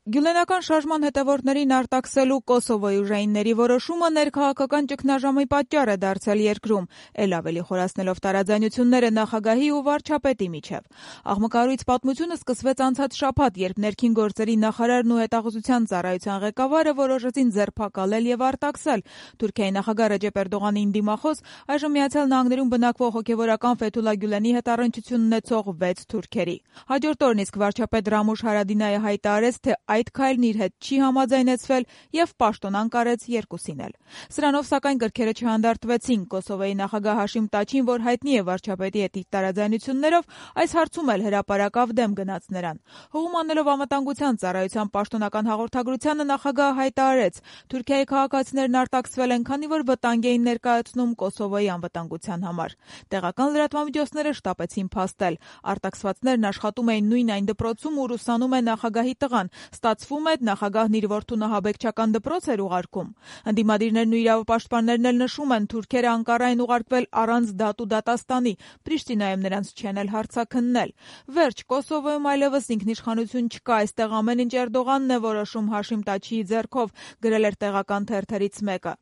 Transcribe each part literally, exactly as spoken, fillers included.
Գյուլենական շարժման հետևորդներին արտաքսելու Կոսովոյի ուժայինների որոշումը ներքաղաքական ճգնաժամի պատճառ է դարձել երկրում, էլ ավելի խորացնելով տարաձայնությունները նախագահի ու վարչապետի միջև։ Աղմկահարույց պատմությունը սկսվեց անցած շաբաթ, երբ ներքին գործերի նախարարն ու հետախուզության ծառայության ղեկավարը որոշեցին ձերբակալել եւ արտաքսել Թուրքիայի նախագահ Ռեջեփ Էրդողանին դիմախոս այժմ Միացյալ Նահանգներում բնակվող հոգեվորական Ֆեթուլա Գյուլենի հետ առնչություն ունեցող վեց թուրքերի։ Հաջորդ օրն իսկ վարչապետ Ռամուշ Հարադինայը հայտարարեց, թե այդ քայլն իր հետ չի համաձայնեցվել եւ պաշտոնան կարեց երկուսին էլ։ Սրանով սակայն գրքերը չհանդարտվեցին։ Կոսովոյի նախագահ Հաշիմ Տաչին, որ հայտնի է վարչապետի հետ իր տարաձայնություններով, այս հարցում էլ հրապարակավ դեմ գնաց նրան։ Հողում անելով անվտանգության ծառայության պաշտոնական հաղորդագրությանը նախագահը հայտարարեց. Թուրքիայի քաղաքացիներն արտաքսվել են, քանի որ վտանգ էին ներկայացնում Կոսովոյի անվտանգության համար։ Տեղական լրատվամիջոցները շտապեցին փաստել։ Արտաքսվածներն աշխատում էին նույն այն դպրոցում, ուր ուսանում է նախագահի տղան։ Ստացվում է, նախագահն իր որդուն ահաբեկչական դպրոց էր ուղարկում։ Ընդդիմադիրներն ու իրավապաշտպաններն էլ նշում են, թուրքերը Անկարա են ուղարկվել առանց դատ ու դատաստանի, Պրիշտինայում նրանց չեն էլ հարցաքննել։ Վերջ, Կոսովոյում այլևս ինքնիշխանություն չկա, այստեղ ամեն ինչ Էրդողանն է որոշում, Հաշիմ Տաչիի ձեռքով, գրել էր տեղական թերթերից մեկը։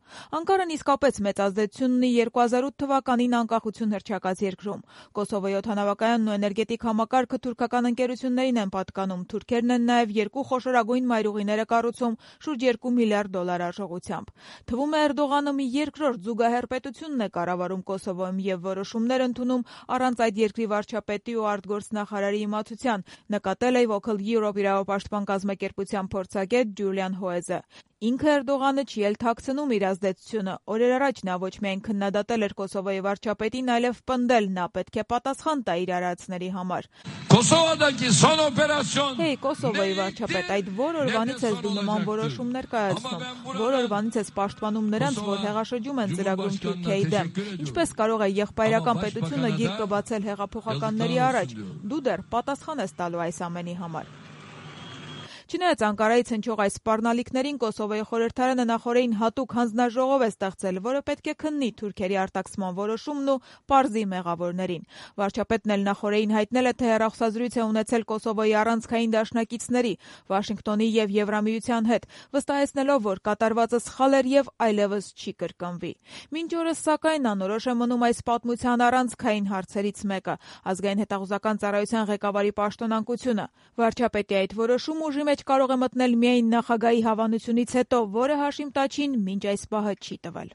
Անկարան իսկապես մեծ ազդեցություն ունի երկու հազար ութ թվականին անկախություն հռչակած երկրում։ Կոսովոյի օդանավակայանն ու էներգետիկ համակարգը թուրքական ընկերություններին են պատկանում, թուրքերն են նաև երկու խոշորագույն մայրուղիներ է կառուցում շուրջ երկու միլիարդ դոլար արժողությամբ։ Թվում է Էրդողանը մի երկրորդ զուգահեռ պետությունն է կառավարում Կոսովոյում եւ որոշումներ ընդունում առանց այդ երկրի վարչապետի ու արտգործնախարարի իմացության, նկատել է Vocal Europe իրավապաշտպան կազմակերպության փորձագետ Ջուլիան Հոեզը։ Ինքը Էրդողանը չի էլ թաքցնում իր ազդեցությունը։ Օրեր առաջ նա ոչ միայն քննադատել էր Կոսովոյի վարչապետին, այլև պնդել նա պետք է պատասխան տա իր արարածների համար։ Հեյ, Կոսովոյի վարչապետ, այդ որ օրվանից ես դու նման որոշումներ կայացնում, որ օրվանից ես պաշտպանում նրանց, որ հեղաշրջում են ծրագրում Թուրքիայի դեմ։ Ինչպես կարող է եղբայրական պետությունը գիրկը բացել հեղափոխականների առաջ։ Դու դեռ պատասխան ես տալու այս ամենի համար։ Չնայած Անկարայից հնչող այս սպառնալիքներին, Կոսովոյի խորհրդարանը նախօրեին հատուկ հանձնաժողով է ստեղծել, որը պետք է քննի թուրքերի արտաքսման որոշումն ու պարզի մեղավորներին։ Վարչապետն էլ նախօրեին հայտնել է, թե հեռախոսազրույց է ունեցել Կոսովոյի առանցքային դաշնակիցների, Վաշինգտոնի եւ Եվրամիության հետ, վստահեցնելով, որ կատարվածը սխալ էր եւ այլևս չի կրկնվի։ Մինչ օրս, սակայն, անորոշ է մնում այս պատմության առանցքային հարցերից մեկը՝ ազգային հետախուզական ծառայության ղեկավարի պաշտոնանկությունը։ Վարչապետի այդ որոշումը ուժի մեջ կարող է մտնել միայն նախագահի հավանությունից հետո, որը Հաշիմ Տաչին մինչ այս պահը չի տվել։